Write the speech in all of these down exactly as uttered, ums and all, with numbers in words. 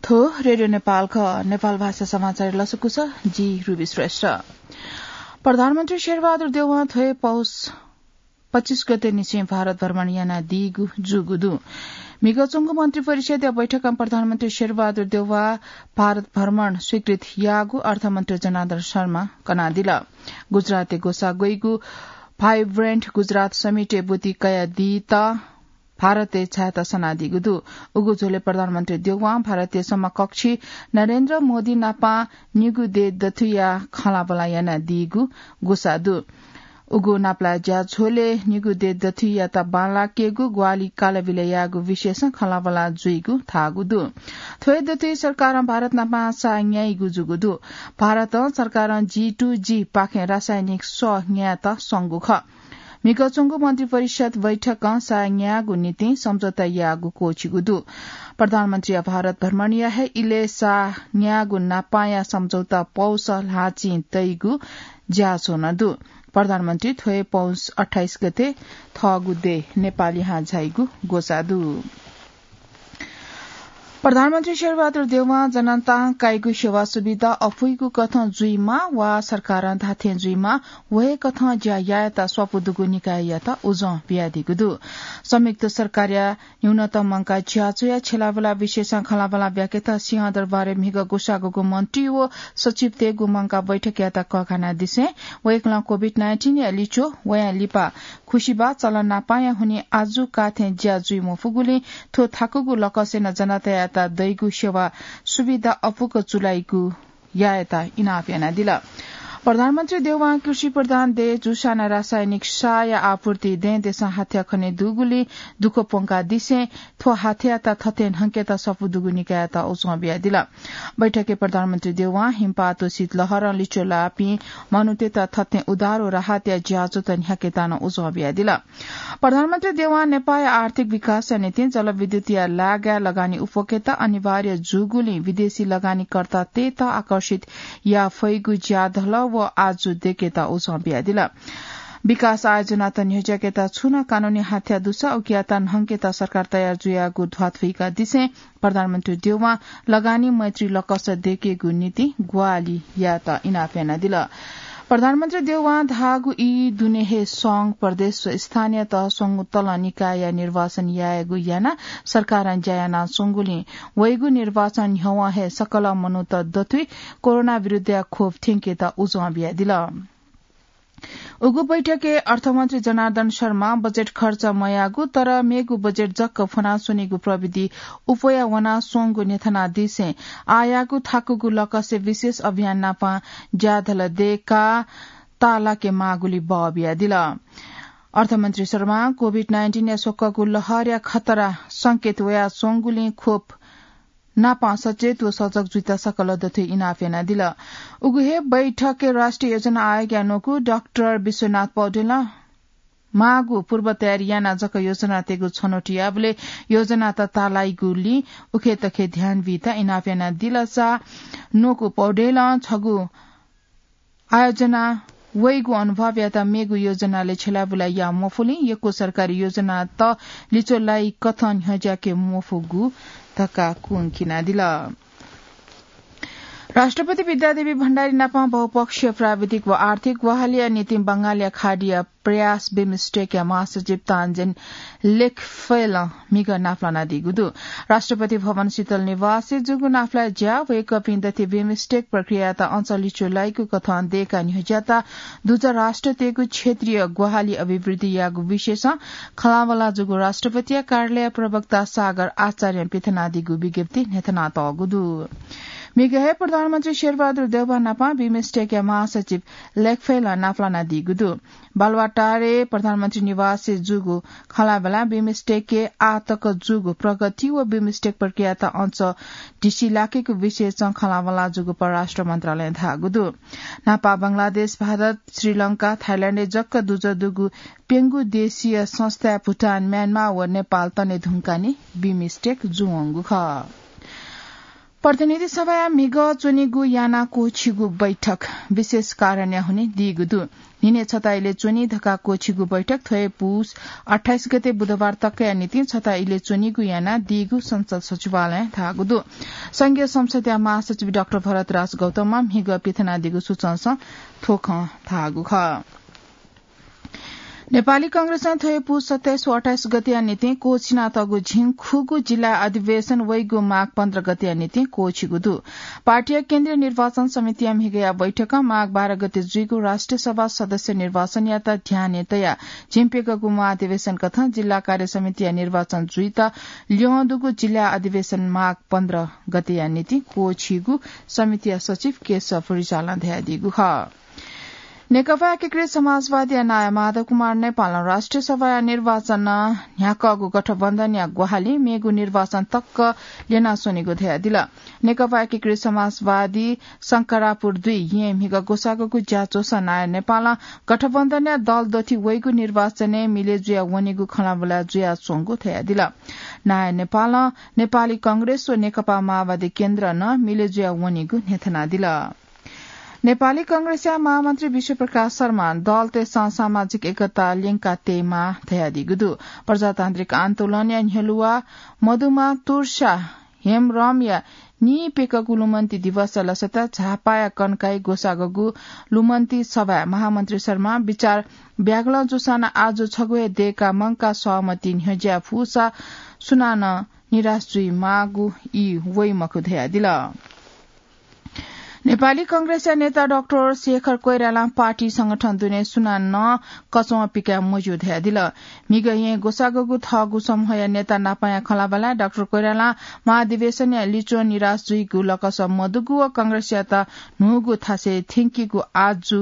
थ्व रेडियो नेपाल खः। नेपाल भाषा समाचार लसकुस, जि रुबी श्रेष्ठ। प्रधानमन्त्री शेरबहादुर देउवां थ्व हे पौष पच्चीस गते निसें भारत भ्रमण यानादीगु जूगु दु। म्हिगः च्वंगु मन्त्री परिषदया बैठकं प्रधानमन्त्री शेरबहादुर देउवा भारत भ्रमण स्वीकृत याःगु अर्थमन्त्री जनार्दन शर्मा कनादिल। गुजरातय् ग्वसाः ग्वइगु Vibrant Gujarat Summit-य् ब्वति कयादीत भारतय् झायेत सनादीगु दु। उगु झ्वलय् प्रधानमन्त्री देउवां भारतीय समकक्षी नरेन्द्र मोदी नापं निगू देय् दथुइया खँल्हाबल्हा यानादीगु ग्वसाः दु। उगु नापलाये ज्याझ्वलय् निगू देय् दथुइयात बांलाकेगु, ग्वाहालि कालबिल यायेगु विषयसं खँल्हाबल्हा जुइगु धाःगु दु। थ्व हे दथुइ सरकारं भारत नापं साः न्याइगु जूगु दु। भारतं सरकारं G to G पाखें रासायनिक सः न्यायेत संगु खः। म्हिगः च्वंगु मन्त्री परिषद बैठकं साः न्यायेगु निंतिं सम्झौता यायेगु क्वःछिगु दु। प्रधानमन्त्रीया भारत भ्रमणया हे इलय् साः न्यायेगु नापंया सम्झौता पौष ल्हाःचिं तइगु ज्याझ्वः नं दु। प्रधानमन्त्री थ्व हे पौष अट्ठाइस गते थःगु देय् नेपालय् झाइगु ग्वसाः दु। प्रधानमन्त्री शेरबहादुर देउवां जनतां काइगु सेवा सुविधा अपुइगु कथं जुइमाः वा सरकारं धाःथें जुइमाः, व हे कथं ज्या यायेत स्वापू दुगु निकाययात उजं बियादीगु दु। संयुक्त सरकारया न्यूनतम मंकाः ज्याझ्वःया छ्यलाबुला विषयसं खँल्हाबल्हा ब्याकेत सिंहदरबारय् म्हिगः ग्वसाः ग्वःगु मन्त्री व सचिवतय्गु मंकाः बैठकयात कःघानादिसें वय्कलं COVID nineteen-या लिच्वः, वयां लिपा खुसिबाः चलन नापंया हुनिं आजु काःथें ज्या जुइ मफुगुलिं थ्व थाकुगु लकसय् नं जनतायात दइगु सेवा सुविधा अपुक चुलाइगु यायेत इनाप यानादिल। प्रधानमन्त्री देउवां कृषि प्रधान देय् जूसां नं रासायनिक साःया आपूर्ति दँय् देशं हाथ्या खने दुगुलिं दुःख प्वंकादिसें थ्व हाथ्यायात थथे न्हंकेत स्वापू दुगु निकाययात उजं बियादिल। बैठकय् प्रधानमन्त्री देउवां हिमपात व शीतलहरं लिच्वः लाःपिं मनूतय्त थथे उद्धार व राहतया ज्याझ्वःत न्ह्याकेत नं उजं बियादिल। प्रधानमन्त्री देउवां नेपाःया आर्थिक विकासया निंतिं जलविद्युतया लागाय् लगानी उप्वकेत अनिवार्य जूगुलिं विदेशी लगानीकर्तातय्त आकर्षित याये फइगु ज्याधल व आजु दय्केत उजं बियादिल। विकास आयोजनात न्ह्यज्याकेत छुं नं कानूनी हाथ्या दुसा उकियात न्हंकेत सरकार तयार जुयागु ध्वाथुइकादिसें प्रधानमन्त्री देउवां लगानी मैत्री लकस दय्केगु निंतिं ग्वाहालि यायेत इनाप यानादिल। प्रधानमन्त्री देउवां धाःगु ई दुने हे संघ, प्रदेश व स्थानीय तह स्वंगू तलं निकायया निर्वाचन यायेगु यानाः सरकारं ज्या यानाच्वंगुलिं वइगु निर्वाचन न्ह्यवं हे सकल मनूत दथुइ कोरोना विरुद्धया खोप थ्यंकेत उजं बियादिल। उगु बैठकय् अर्थमन्त्री जनार्दन शर्मां बजेट खर्च मयाःगु तर मेगु बजेट जक फ्वनाच्वनीगु प्रविधि उप्वया वनाच्वंगु न्ह्यथनादिसें आःयागु थाकुगु लकसय् विशेष अभियान नापं ज्याधल दय्काः ताःलाके माःगुलि बः बियादिल। अर्थमन्त्री शर्मां COVID nineteen-या स्वक्वःगु लहरया खतरा संकेत वयाच्वंगुलिं खोप नापं सचेत व सजग जुइत सकल दथुइ इनाप यानादिल। उगु हे बैठकय् राष्ट्रिय योजना आयोगया न्वकू डाक्टर विश्वनाथ पौडेलं माःगु पूर्व तयारी यानाः जक योजना तयेगु छनौट याःबलय् योजनात ताःलाइगुलिं उखेतखे ध्यान बीत इनाप यानादिल। सा न्वकू पौडेलं छगू आयोजना वइगु अनुभवयात मेगु योजनालय् छ्यलाबुला याः मफुलिं यक्व सरकारी योजनात लिच्वः लाइ कथं न्ह्यज्याके मफुगु धकाः कुंखिनादिल। राष्ट्रपति विद्यादेवी भण्डारी नाप बहुपक्षीय प्राविधिक व आर्थिक ग्वाहालिया निंतिं बंगालया खाडीया प्रयास बिमस्टेकया महासचिव तान्जेन लेखफेलं म्हिगः नापलानादीगु दु। राष्ट्रपति भवन शीतल निवासय् जूगु नापलाये ज्याः वय्कःपिं दथुइ बिमस्टेक प्रक्रियायात अझ लिच्वः लाइगु कथं दय्काः न्ह्यज्याःत दुजः राष्ट्रतय्गु क्षेत्रीय ग्वाहालि अभिवृद्धियागु विषयसं खँल्हाबल्हा जूगु राष्ट्रपतिया कार्यालय प्रवक्ता सागर आचार्यं पिथनादीगु विज्ञप्ति न्ह्यथनातःगु दु। म्हिगः हे प्रधानमन्त्री शेरबहादुर देउवा नाप बिमस्टेकया महासचिव लेखफेलं नापलानादीगु दु। बालुवाटारय् प्रधानमन्त्री निवासय् जूगु खँल्हाबल्हां बिमस्टेकय् आःतक जूगु प्रगति व बिमस्टेक प्रक्रियायात अझ ढिसि लाकेगु विषयसं खँल्हाबल्हा जूगु परराष्ट्र मन्त्रालयं धाःगु दु। न्हापा बंगलादेश, भारत, श्रीलंका, थाइल्याण्डय् जक दुजः दुगु प्यंगू देशीय संस्थाय् भुटान, म्यानमार व नेपाल तने धुंकाः नं बिमस्टेक जूवंगु खः। प्रतिनिधि सभाया म्हिगः च्वनीगु याना क्वःछिगु बैठक विशेष कारणया हुने दीगु दु। न्हिने छता इले च्वनी धकाः क्वःछिगु बैठक थ्व हे पुस अट्ठाइस गते बुधबार तकया निंतिं छता इले च्वनीगु याना दीगु संसद सचिवालयं धाःगु दु। संघीय संसदया महासचिव डाक्टर भरतराज गौतमं म्हिगः पिथनादीगु सूचनासं थ्व खँ धाःगु खः। नेपाली कांग्रेसं थ्व हे पुस सत्ताइस व अट्ठाइस गतेया निंतिं क्वःछिनातःगु झिंखुगू जिल्ला अधिवेशन वइगु माघ पन्ध्र गतेया निंतिं क्वःछिगु दु। पार्टीया केन्द्रीय निर्वाचन समितिया म्हिगःया बैठकं माघ बाह्र गते जुइगु राष्ट्रिय सभा सदस्य निर्वाचनयात ध्यानय् तयाः झिंप्यघागु महाधिवेशन कथं जिल्ला कार्य समितिया निर्वाचन जुइत ल्यं दुगु जिल्ला अधिवेशन माघ पन्ध्र गतेया निंतिं क्वःछिगु समितिया सचिव केशव रिजालं धयादीगु खः। नेकपा एकीकृत समाजवादीया नायः माधव कुमार नेपालं राष्ट्रिय सभाया निर्वाचनं न्ह्याकःगु गठबन्धनया ग्वाहालि मेगु निर्वाचन तक ल्यनाच्वनेगु धयादिल। नेकपा एकीकृत समाजवादी शंकरापुर दुई येँ म्हिगः ग्वसाःगु ज्याझ्वलय् नायः नेपालं गठबन्धनया दल दथुइ वइगु निर्वाचनय् मिले जुया वनेगु खँल्हाबल्हा जुयाच्वंगु धयादिल। नायः नेपालं नेपाली कांग्रेस व नेकपा माओवादी केन्द्र नं मिले जुया वनेगु न्ह्यथनादिल। नेपाली कांग्रेसया महामन्त्री विश्वप्रकाश शर्मां दलतय्सं सामाजिक एकता ल्यंका तयेमाः धयादीगु दु। प्रजातान्त्रिक आन्दोलनया न्ह्यलुवा मदुमा तुर्सा हेमरमया नीप्यघागु लुमन्ति दिवसया लसताय् झापाया कन्काइ ग्वसाःगु लुमन्ति सभाय् महामन्त्री शर्मां बिचाः ब्यागलं जूसां नं आजु छगू हे दय्का मंकाः सहमति न्ह्यज्याये फुसा सुनानं निराश जुइमाःगु ई वइ मखु धयादिल। नेपाली कांग्रेसया नेता डाक्टर शेखर कोइरालां पार्टी संगठन दुने सुनानं कचवं पिकाये मज्यू धयादिल। म्हिगः येँ ग्वसाःगु थःगु समूहया नेता नापंया खँल्हाबल्हाय् डाक्टर कोइरालां महाधिवेशनया लिच्वं निराश जुइगु लकस मदुगु व कांग्रेसयात न्हूगु थासय् थ्यंकीगु आजु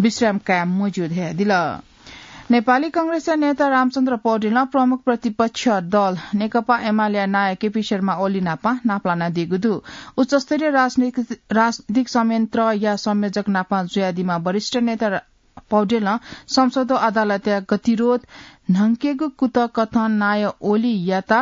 विश्राम काये मज्यू धयादिल। नेपाली कांग्रेसया नेता रामचन्द्र पौडेलं प्रमुख प्रतिपक्ष दल नेकपा एमालेया नायः केपी शर्मा ओली नाप नापलानादीगु दु। उच्चस्तरीय राजनीतिक, राजनीतिक संयन्त्रया संयोजक नाप जुयादीम्ह वरिष्ठ नेता रा-, पौडेलं संसदो अदालतया गतिरोध न्हंकेगु कुतः कथं नायः ओलीयात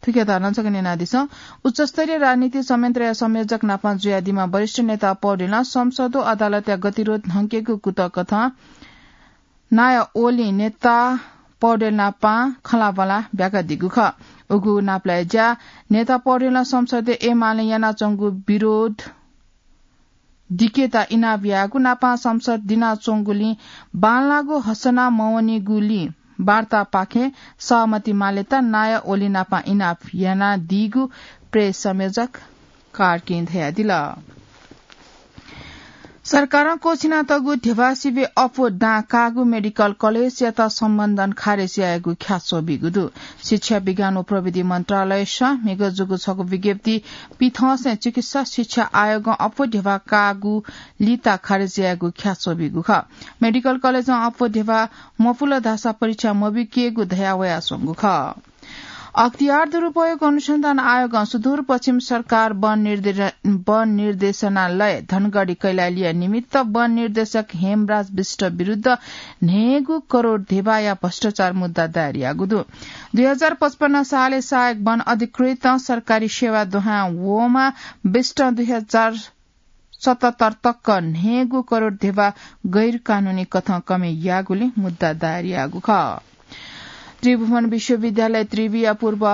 थुकियात नं छकः न्यनादिसँ। उच्चस्तरीय राजनीतिक संयन्त्रया संयोजक नाप जुयादीम्ह वरिष्ठ नेता पौडेलं संसदो अदालतया गतिरोध न्हंकेगु कुतः कथं नायः ओलीं नेता पौडेल नाप खँल्हाबल्हा ब्याकादीगु खः। उगु नापलाये ज्या नेता पौडेलं संसदय् एमालें यानाच्वंगु विरोध दिकेत इनाप यायेगु नाप संसद दिनाच्वंगुलिं बांलाःगु हसना मवनीगुलिं वार्तापाखें सहमति मालेत नायः ओली नाप इनाप यानादीगु प्रेस संयोजक कार्कीं धयादिल। सरकारं क्वःछिनातःगु ध्यबा सिबय् अप्वः दां काःगु मेडिकल कलेजयात सम्बन्धन खारेज यायेगु ख्याच्वः बीगु दु। शिक्षा, विज्ञान व प्रविधि मन्त्रालयसं म्हिगः जूगु छगू विज्ञप्ति पिथंसें चिकित्सा शिक्षा आयोगं अप्वः ध्यबा काःगु लिता खारेज यायेगु ख्याच्वः बीगु खः। मेडिकल कलेजं अप्वः ध्यबा मपुल धाःसा परीक्षा मबीकेगु धयावयाच्वंगु खः। अख्तियार दुरुपयोग अनुसन्धान आयोगं सुदूरपश्चिम सरकार वन निर्दे-, वन निर्देशनालय धनगढी कैलालीया निमित्त वन निर्देशक हेमराज विष्ट विरुद्ध न्हय्गू करोड ध्यबाया भ्रष्टाचार मुद्दा दायर याःगु दु। दुई हजार पचपन्न सालय् सहायक वन अधिकृतं सरकारी सेवा दुहां वःम्ह विष्टं दुई हजार सतहत्तर तक न्हय्गू करोड ध्यबा गैर कानूनी कथं कमय् याःगुलिं मुद्दा दायर याःगु खः। त्रिभुवन विश्वविद्यालय त्रिविया पूर्व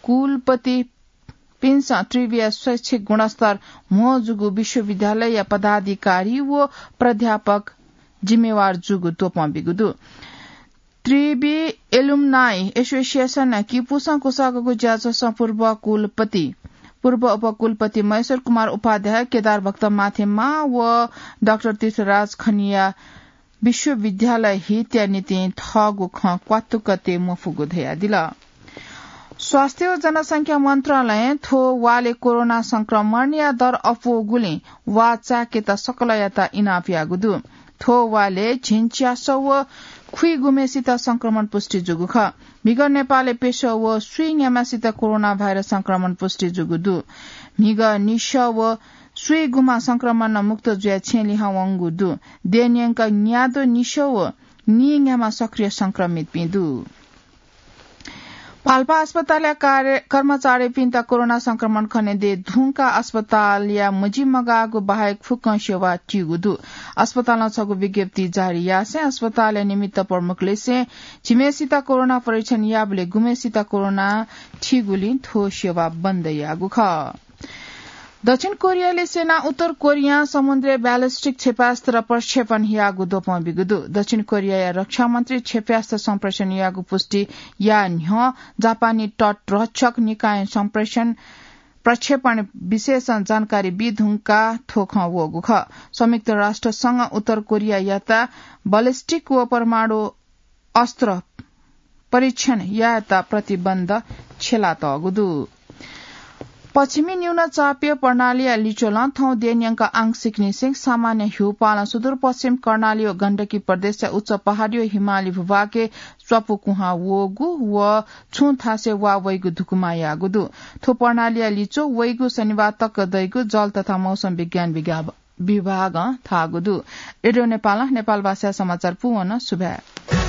कुलपतिपिन्सं त्रिविया शैक्षिक गुणस्तर म्हो जूगु विश्वविद्यालयया पदाधिकारी व प्राध्यापक जिम्मेवार जूगु त्वपं बीगु दु। त्रिवि एलुमनाई एसोसिएसन किपुसं क्वसाःगु ज्याझ्वलय् पूर्व कुलपति, पूर्व उपकुलपति महेश्वर कुमार उपाध्याय, केदार भक्त माथेमा व डाक्टर तीर्थराज खनिया विश्वविद्यालय हितया निंतिं थःगु खँ क्वातुक तये मफुगु धयादिल। स्वास्थ्य व जनसंख्या मन्त्रालयं थ्व वालय् कोरोना संक्रमणया दर अप्वःगुलिं वा चाय्केत सकलयात इनाप याःगु दु। थ्व वालय् झिंच्यासः व खुइगुम्हेसित संक्रमण पुष्टि जूगु खः। म्हिगः नेपालय् प्यसः व स्वीन्याम्हसित कोरोना भाइरस संक्रमण पुष्टि जूगु दु। म्हिगः निसः व स्वीगुम्ह संक्रमणं मुक्त जुयाः छेँ लिहां वंगु दु। देय् न्यंक न्याद्वः निसः व नीन्याम्ह सक्रिय संक्रमितपिं दु। पाल्पा अस्पतालया कार्य-, कर्मचारीपिन्त कोरोना संक्रमण खनेदये धुंकाः अस्पतालया मजिमगाःगु बाहेक फुक्कं सेवा तीगु दु। अस्पतालं छगू विज्ञप्ति जारी यासें अस्पतालया निमित्त प्रमुखलिसें झिम्हेसित कोरोना परीक्षण याःबलय् गुम्हेसित कोरोना थीगुलिं थ्व सेवा बन्द याःगु खः। दक्षिण कोरियाले सेना उत्तर कोरियां समुद्रय् ballistic क्षेपणास्त्र प्रक्षेपण याःगु द्वपं बिगु दु। दक्षिण कोरियाया रक्षा मन्त्री क्षेपणास्त्र सम्प्रेषण याःगु पुष्टि याः न्ह्यः जापानी तट रक्षक निकायं सम्प्रेषण प्रक्षेपण विशेषं जानकारी बी धुंकाः थ्व खँ वःगु खः। संयुक्त राष्ट्र संघ उत्तर कोरियायात ballistic व परमाणु अस्त्र परीक्षण यायेत प्रतिबन्ध छ्यलातःगु दु। पश्चिमी न्यूनचापीय प्रणालीया लिच्वलं थौं देय्‌न्यंक आंशिक निसें सामान्य ह्यूपालं सुदूरपश्चिम कर्णाली व गण्डकी प्रदेशया उच्च पहाडी व हिमाली भूभागय् स्वापू कुहां वःगु व छुं थासय् वा वइगु धुकुमा याःगु दु। थ्व प्रणालीया लिच्वः वइगु शनिबार तक दइगु जल तथा मौसम विज्ञान विज्ञा-, विभागं धाःगु दु। रेडियो नेपालं नेपाल भाषाया समाचार पूवन सुभाय्।